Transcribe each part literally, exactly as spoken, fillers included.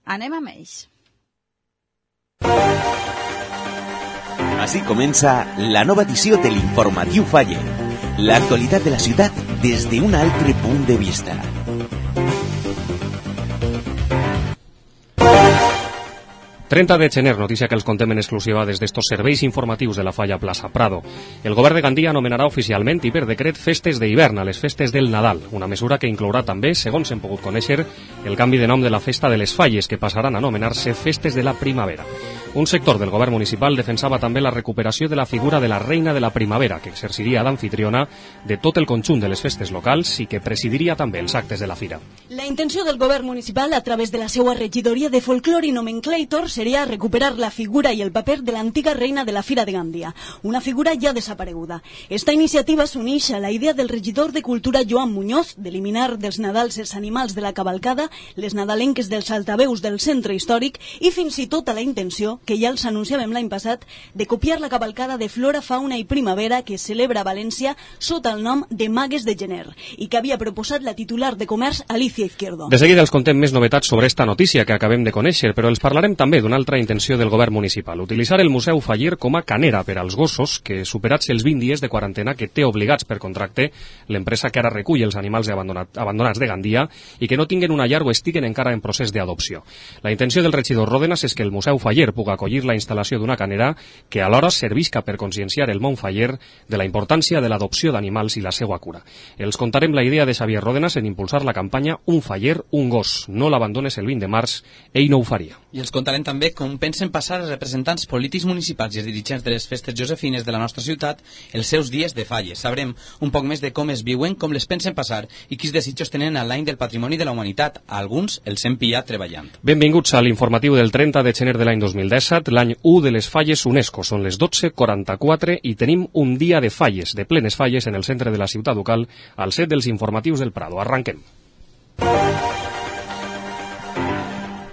Anem amb ells. Així comença la nova edició de l'Informatiu Faller. L'actualitat de la ciutat des d'un altre punt de vista. trenta de gener, notícia que els contem en exclusiva des d'estos serveis informatius de la Falla Plaça Prado. El govern de Gandia anomenarà oficialment i per decret festes d'hivern a les festes del Nadal, una mesura que inclourà també, segons hem pogut conèixer, el canvi de nom de la festa de les Falles, que passaran a anomenar-se festes de la primavera. Un sector del govern municipal defensava també la recuperació de la figura de la reina de la primavera, que exerciria d'anfitriona de tot el conjunt de les festes locals i que presidiria també els actes de la fira. La intenció del govern municipal, a través de la seva regidoria de folclore i nomenclàtor, seria recuperar la figura i el paper de l'antiga reina de la Fira de Gandia, una figura ja desapareguda. Esta iniciativa s'uneix a la idea del regidor de Cultura Joan Muñoz d'eliminar dels Nadals els animals de la cavalcada, les nadalenques dels altaveus del centre històric i fins i tot a la intenció, que ja els anunciàvem l'any passat, de copiar la cavalcada de Flora, Fauna i Primavera que es celebra a València sota el nom de Magues de Gener i que havia proposat la titular de Comerç Alicia Izquierdo. De seguida els contem més novetats sobre esta notícia que acabem de conèixer, però els parlarem també d'una altra intenció del govern municipal, utilitzar el Museu Faller com a canera per als gossos que, superats els vint dies de quarantena que té obligats per contracte l'empresa que ara recull els animals abandonat, abandonats de Gandia i que no tinguen una llar o estiguen encara en procés d'adopció. La intenció del regidor Ródenas és que el Museu Faller pugui acollir la instal·lació d'una canera que alhora servisca per conscienciar el món faller de la importància de l'adopció d'animals i la seva cura. Els contarem la idea de Xavier Ródenas en impulsar la campanya Un Faller, un gos. No l'abandones el vint de març, ell no ho faria. I els contarem també com pensen passar els representants polítics municipals i els dirigents de les festes josefines de la nostra ciutat els seus dies de falles. Sabrem un poc més de com es viuen, com les pensen passar i quins desitjos tenen a l'any del patrimoni de la humanitat. A alguns els hem pillat treballant. Benvinguts a l'informatiu del trenta de gener de l'any dos mil disset, l'any u de les falles UNESCO. Són les dotze quaranta-quatre i tenim un dia de falles, de plenes falles en el centre de la ciutat ducal, al set dels informatius del Prado. Arranquem.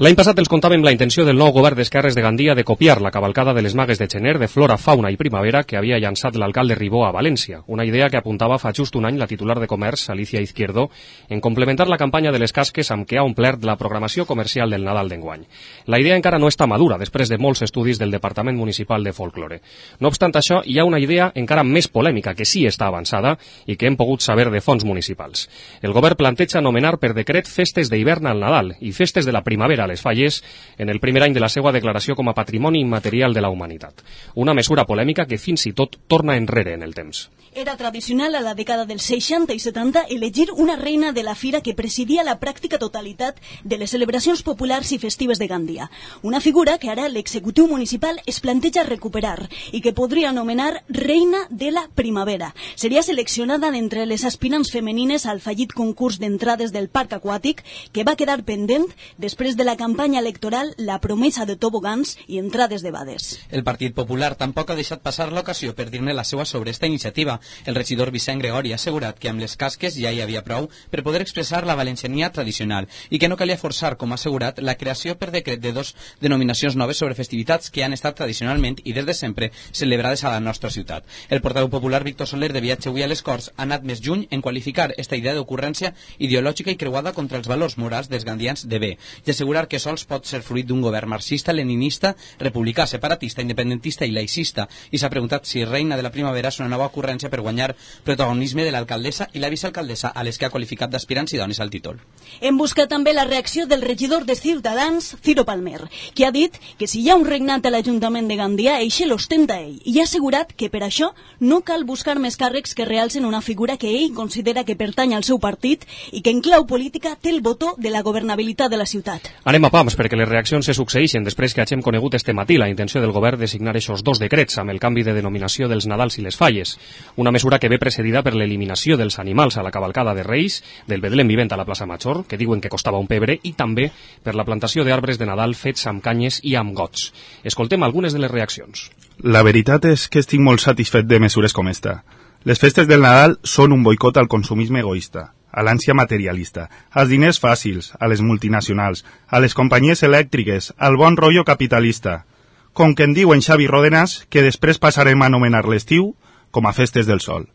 L'any passat els contàvem la intenció del nou govern d'esquerres de Gandia de copiar la cavalcada de les Magues de Gener de Flora, Fauna i Primavera que havia llançat l'alcalde Ribó a València, una idea que apuntava fa just un any la titular de Comerç, Alicia Izquierdo, en complementar la campanya de les casques amb què ha omplert la programació comercial del Nadal d'enguany. La idea encara no està madura després de molts estudis del Departament Municipal de Folklore. No obstant això, hi ha una idea encara més polèmica que sí està avançada i que hem pogut saber de fons municipals. El govern planteja anomenar per decret festes d'hivern al Nadal i festes de la primavera les Falles en el primer any de la seva declaració com a Patrimoni Immaterial de la Humanitat. Una mesura polèmica que fins i tot torna enrere en el temps. Era tradicional a la dècada dels seixanta i setanta elegir una reina de la fira que presidia la pràctica totalitat de les celebracions populars i festives de Gandia. Una figura que ara l'executiu municipal es planteja recuperar i que podria anomenar Reina de la Primavera. Seria seleccionada d'entre les aspirants femenines al fallit concurs d'entrades del Parc Aquàtic que va quedar pendent després de la campanya electoral La promesa de tobogans i entrades de bades. El Partit Popular tampoc ha deixat passar l'ocasió per dir-ne la seva sobre esta iniciativa. El regidor Vicent Gregori ha assegurat que amb les casques ja hi havia prou per poder expressar la valenciania tradicional i que no calia forçar, com ha assegurat, la creació per decret de dos denominacions noves sobre festivitats que han estat tradicionalment i des de sempre celebrades a la nostra ciutat. El portaveu popular Víctor Soler, de viatge avui a les Corts, ha anat més lluny en qualificar esta idea d'ocurrència ideològica i creuada contra els valors morals dels gandians de bé i assegurar que sols pot ser fruit d'un govern marxista, leninista, republicà, separatista, independentista i laicista, i s'ha preguntat si Reina de la Primavera és una nova ocurrència per guanyar protagonisme de l'alcaldessa i la vicealcaldessa a les que ha qualificat d'aspirants idonis al títol. Hem buscat també la reacció del regidor de Ciutadans, Ciro Palmer, que ha dit que si hi ha un regnat a l'Ajuntament de Gandia, eixe l'ostenta ell, i ha assegurat que per això no cal buscar més càrrecs que realcen una figura que ell considera que pertany al seu partit i que en clau política té el botó de la governabilitat de la ciutat. Anem a pams, perquè les reaccions se succeeixen després que hagem conegut este matí la intenció del govern de signar aquests dos decrets amb el canvi de denominació dels Nadals i les Falles. Una mesura que ve precedida per l'eliminació dels animals a la cavalcada de Reis, del Betlem vivent a la plaça Major, que diuen que costava un pebre, i també per la plantació d'arbres de Nadal fets amb canyes i amb gots. Escoltem algunes de les reaccions. La veritat és que estic molt satisfet de mesures com esta. Les festes del Nadal són un boicot al consumisme egoista, a l'ànsia materialista, als diners fàcils, a les multinacionals, a les companyies elèctriques, al bon rotllo capitalista. Com que en diuen Xavi Ródenas, que després passarem a anomenar l'estiu com a festes del sol.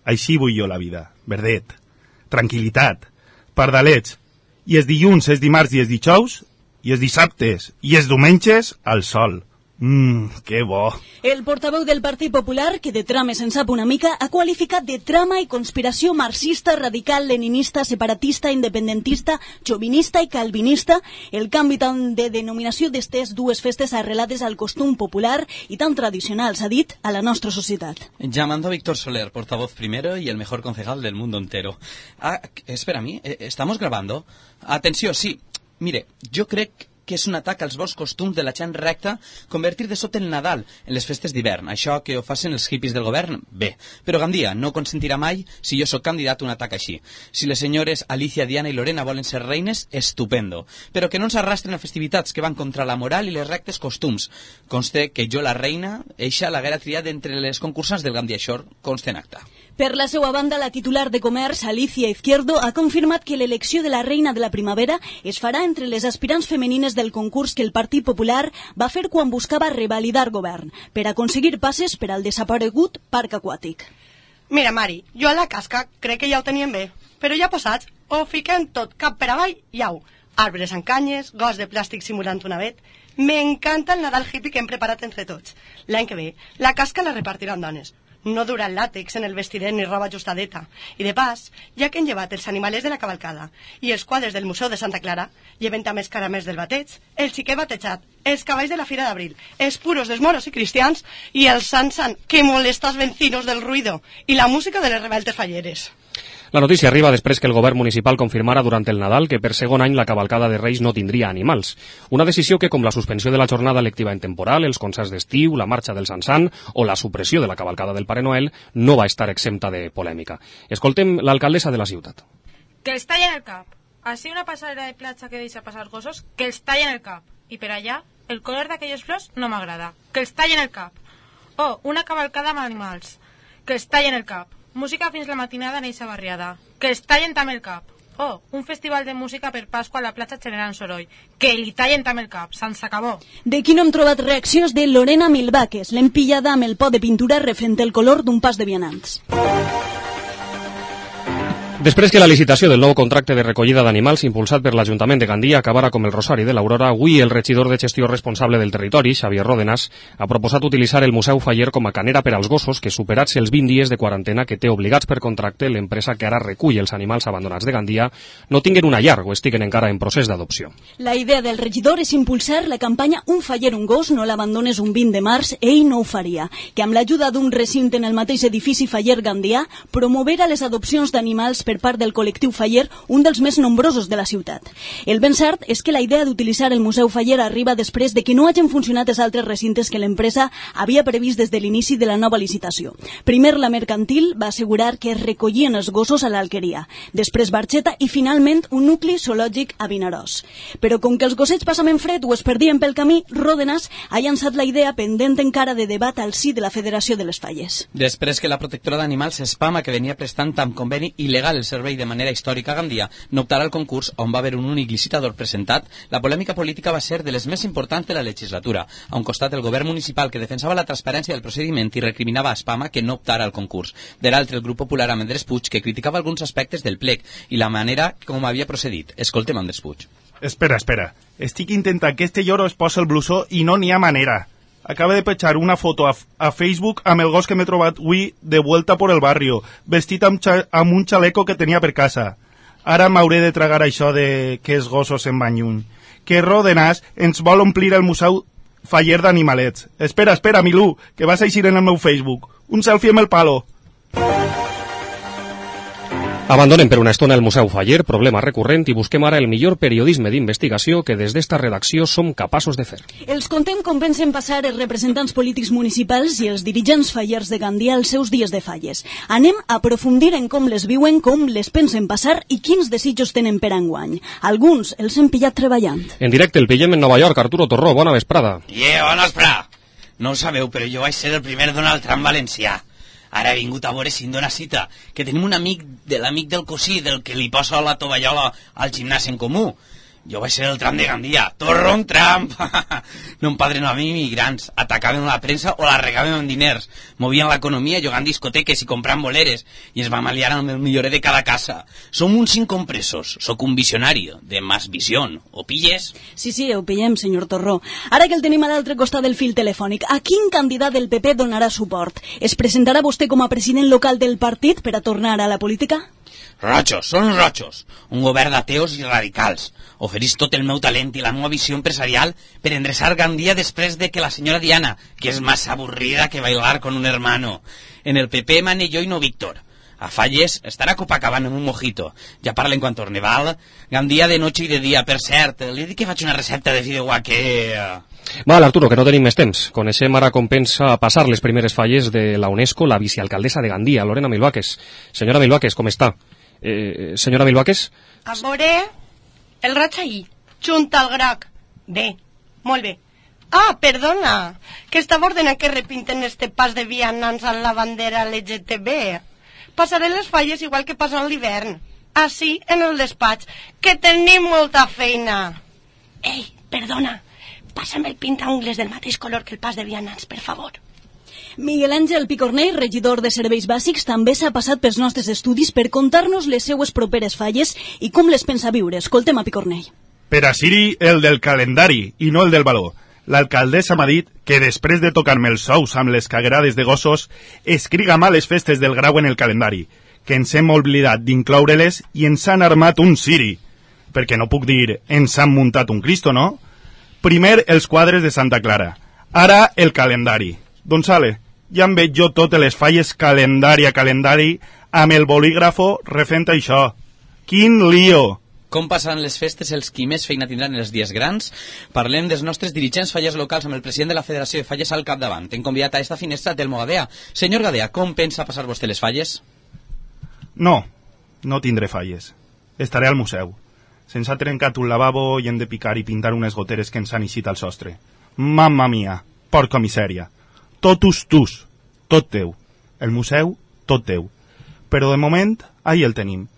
Així vull jo la vida, verdet, tranquil·litat, pardalets, i els dilluns, els dimarts i els dijous, i els dissabtes i els diumenges al sol. Mmm, que bo. El portaveu del Partit Popular, que de trames en sap una mica, ha qualificat de trama i conspiració marxista, radical, leninista, separatista, independentista, xovinista i calvinista el canvi tant de denominació d'estes dues festes arrelades al costum popular i tan tradicional, s'ha dit, a la nostra societat. Llamando a Víctor Soler, portavoz primero y el mejor concejal del mundo entero. Ah, espera, a mí, ¿estamos grabando? Atenció, sí. Mire, jo crec que és un atac als bons costums de la gent recta convertir de sota el Nadal en les festes d'hivern. Això que ho facin els hippies del govern, bé. Però Gandia no consentirà mai si jo sóc candidat a un atac així. Si les senyores Alicia, Diana i Lorena volen ser reines, estupendo. Però que no ens arrastren a festivitats que van contra la moral i les rectes costums. Conste que jo, la reina, eixa l'haguera triat entre les concursants del Gandia Shore, conste en acta. Per la seva banda, la titular de Comerç, Alicia Izquierdo, ha confirmat que l'elecció de la reina de la primavera es farà entre les aspirants femenines del concurs que el Partit Popular va fer quan buscava revalidar govern, per aconseguir passes per al desaparegut parc aquàtic. Mira, Mari, jo a la casca crec que ja ho tenien bé, però ja posats, ho fiquem tot cap per avall i au. Arbres amb canyes, gos de plàstic simulant un avet. M'encanta el Nadal hippie que hem preparat entre tots. L'any que ve, la casca la repartiran dones. No dura el làtex en el vestidet ni roba ajustadeta. I de pas, ja que han llevat els animalers de la cavalcada i els quadres del Museu de Santa Clara, lleven també els caramels del bateig, el xiquet batejat, els cavalls de la Fira d'Abril, els puros dels moros i cristians i el sant sant que molesta els vencinos del ruido i la música de les reveltes falleres. La notícia arriba després que el govern municipal confirmara durant el Nadal que per segon any la cavalcada de Reis no tindria animals. Una decisió que, com la suspensió de la jornada lectiva en temporal, els concerts d'estiu, la marxa del Sant Sant o la supressió de la cavalcada del Pare Noel, no va estar exempta de polèmica. Escoltem l'alcaldessa de la ciutat. Que els tallen el cap. Així una passarel·la de platja que deixa passar gossos, que els tallen el cap. I per allà, el color d'aquelles flors no m'agrada. Que els tallen el cap. O una cavalcada amb animals. Que els tallen el cap. Música fins la matinada en eixa barriada. Que els tallen també el cap. Oh, un festival de música per Pasqua a la platja generant soroll. Que li tallen també el cap. Se'ns acabó. D'aquí no hem trobat reaccions de Lorena Milvaques, l'hem pillada amb el pot de pintura refent el color d'un pas de vianants. Després que la licitació del nou contracte de recollida d'animals impulsat per l'Ajuntament de Gandia acabara com el Rosari de l'Aurora, avui el regidor de gestió responsable del territori, Xavier Ródenas, ha proposat utilitzar el Museu Faller com a canera per als gossos que, superats els vint dies de quarantena que té obligats per contracte l'empresa que ara recull els animals abandonats de Gandia, no tinguen una llar o estiguen encara en procés d'adopció. La idea del regidor és impulsar la campanya Un faller, un gos, no l'abandones un vint de març, ell no ho faria, que amb l'ajuda d'un recinte en el mateix edifici Faller Gandia promovera les adopcions d'animals per part del col·lectiu Faller, un dels més nombrosos de la ciutat. El ben cert és que la idea d'utilitzar el Museu Faller arriba després de que no hagin funcionat els altres recintes que l'empresa havia previst des de l'inici de la nova licitació. Primer la mercantil va assegurar que es recollien els gossos a l'Alqueria, després Barxeta i finalment un nucli zoològic a Vinaròs. Però com que els gossets passaven fred o es perdien pel camí, Ródenas ha llançat la idea pendent encara de debat al si de la Federació de les Falles. Després que la protectora d'animals Espama, que venia prestant amb conveni il·legal el servei de manera històrica a Gandia, no optarà al concurs on va haver un únic licitador presentat, la polèmica política va ser de les més importants de la legislatura. A un costat el govern municipal que defensava la transparència del procediment i recriminava a Espama que no optara al concurs. De l'altre, el grup popular amb Andrés Puig, que criticava alguns aspectes del plec i la manera com havia procedit. Escoltem Andrés Puig. Espera, espera. Estic intentant que este lloro es posa el blusó i no n'hi ha manera. Acaba de petjar una foto a, a Facebook amb el gos que m'he trobat avui de vuelta por el barrio, vestit amb, amb un xaleco que tenia per casa. Ara m'hauré de tragar això de que els gossos se'n van lluny. Que Ródenas ens vol omplir el Museu Faller d'animalets. Espera, espera, Milú, que vas a eixir en el meu Facebook. Un selfie amb el palo. Abandonem per una estona el Museu Faller, problema recurrent, i busquem ara el millor periodisme d'investigació que des d'esta redacció som capaços de fer. Els contem com pensen passar els representants polítics municipals i els dirigents fallers de Gandia els seus dies de falles. Anem a aprofundir en com les viuen, com les pensen passar i quins desitjos tenen per enguany. Alguns els hem pillat treballant. En directe el pillem en Nova York. Arturo Torró, bona vesprada. Yeah, bona vesprada. No ho sabeu, però jo vaig ser el primer Donald Trump valencià. Ara he vingut a veure si em dóna cita, que tenim un amic de l'amic del cosí, del que li posa la tovallola al gimnàs en comú. Jo vaig ser el tram de Gandia. Torron Trump! No em padren a mi immigrants. Atacaven la premsa o la regaven amb diners. Movien l'economia jugant discoteques i comprant boleres. I ens vam aliar amb el millorer de cada casa. Som uns incompresos. Soc un visionari de más visió. Ho pilles? Sí, sí, ho pillem, senyor Torró. Ara que el tenim a l'altre costat del fil telefònic, a quin candidat del P P donarà suport? Es presentarà vostè com a president local del partit per a tornar a la política? Rojos, són rojos. Un govern d'ateos i radicals. Oferís tot el meu talent i la meva visió empresarial per endreçar Gandia després de que la senyora Diana, que és más aburrida que bailar con un hermano. En el P P mane jo i no Víctor. A Falles estarà Copacabana amb un mojito. Ja parlen quan torne, val? Gandia de noche i de dia. Per cert, li dic que faig una recepta de fideuà que... Val, Arturo, que no tenim més temps. Coneixem ara com pensa passar les primeres falles de la UNESCO la vicealcaldessa de Gandia, Lorena Milvaques. Senyora Milvaques, com està? Eh, senyora Milvaques? A veure, el raig ahí, junt al groc. Bé, molt bé. Ah, perdona, que estava ordenant que repinten este pas de vianants amb la bandera L G T B. Passaré les falles igual que passen l'hivern. Així, en el despatx, que tenim molta feina. Ei, perdona, passa'm el pintaungles del mateix color que el pas de vianants, per favor. Miguel Àngel Picornell, regidor de Serveis Bàsics, també s'ha passat pels nostres estudis per contar-nos les seues properes falles i com les pensa viure. Escoltem a Picornell. Per a Siri, el del calendari i no el del baló. L'alcaldessa m'ha dit que després de tocar-me els sous amb les caguerades de gossos, escriga mal les festes del grau en el calendari, que ens hem oblidat d'incloure-les i ens han armat un Siri. Perquè no puc dir, ens han muntat un Cristo, no? Primer els quadres de Santa Clara, ara el calendari. Doncs ale, ja em veig jo totes les falles calendari a calendari amb el bolígrafo refent això. Quin lío! Com passaran les festes els qui més feina tindran els dies grans? Parlem dels nostres dirigents falles locals amb el president de la Federació de Falles al capdavant. Hem convidat a esta finestra Telmo Gadea. Senyor Gadea, com pensa passar vostè les falles? No, no tindré falles. Estaré al museu. Se'ns ha trencat un lavabo i hem de picar i pintar unes goteres que ens han eixit al sostre. Mamma mia, porca misèria. Totus tus, tot teu. El museu, tot teu. Però de moment, ahí el tenim.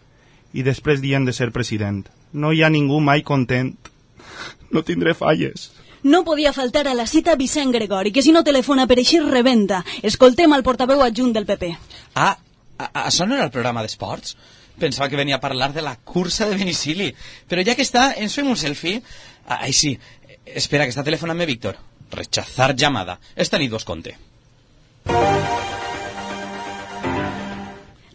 I després dient de ser president. No hi ha ningú mai content. No tindré falles. No podia faltar a la cita Vicent Gregori, que si no telefona per eixir rebenta. Escoltem al portaveu adjunt del P P. Ah, això no era el programa d'esports? Pensava que venia a parlar de la cursa de Benicili. Però ja que està, ens fem un selfie. Ai, sí. Espera, que està telefonant-me Víctor. Rechazar llamada. Esta nit vos conte.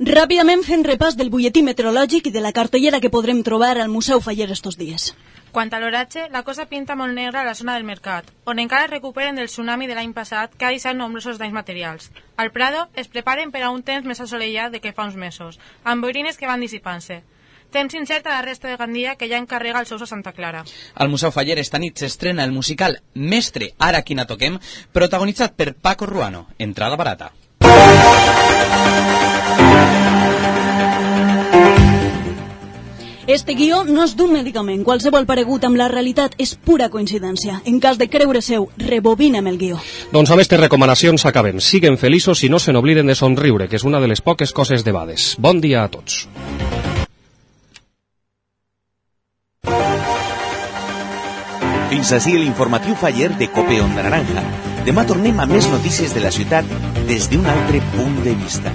Ràpidament fent repàs del butlletí meteorològic i de la cartellera que podrem trobar al Museu Faller estos dies. Quant a l'oratge, la cosa pinta molt negra a la zona del Mercat, on encara es recuperen del tsunami de l'any passat que ha deixat nombrosos danys materials. Al Prado es preparen per a un temps més assolellat de que fa uns mesos, amb boirines que van dissipant-se. Temps incert a la resta de Gandia, que ja encarrega els seus a Santa Clara. Al Museu Faller esta nit s'estrena el musical Mestre, ara quina toquem, protagonitzat per Paco Ruano. Entrada barata. Este guió no és d'un medicament. Qualsevol paregut amb la realitat és pura coincidència. En cas de creure-seu, rebobinem el guió. Doncs amb aquestes recomanacions acabem. Siguen feliços i no se n'obliden de somriure, que és una de les poques coses de bades. Bon dia a tots. Fins ací l'informatiu Faller de Cope Onda Naranja. Demà tornem amb més notícies de la ciutat des d'un altre punt de vista.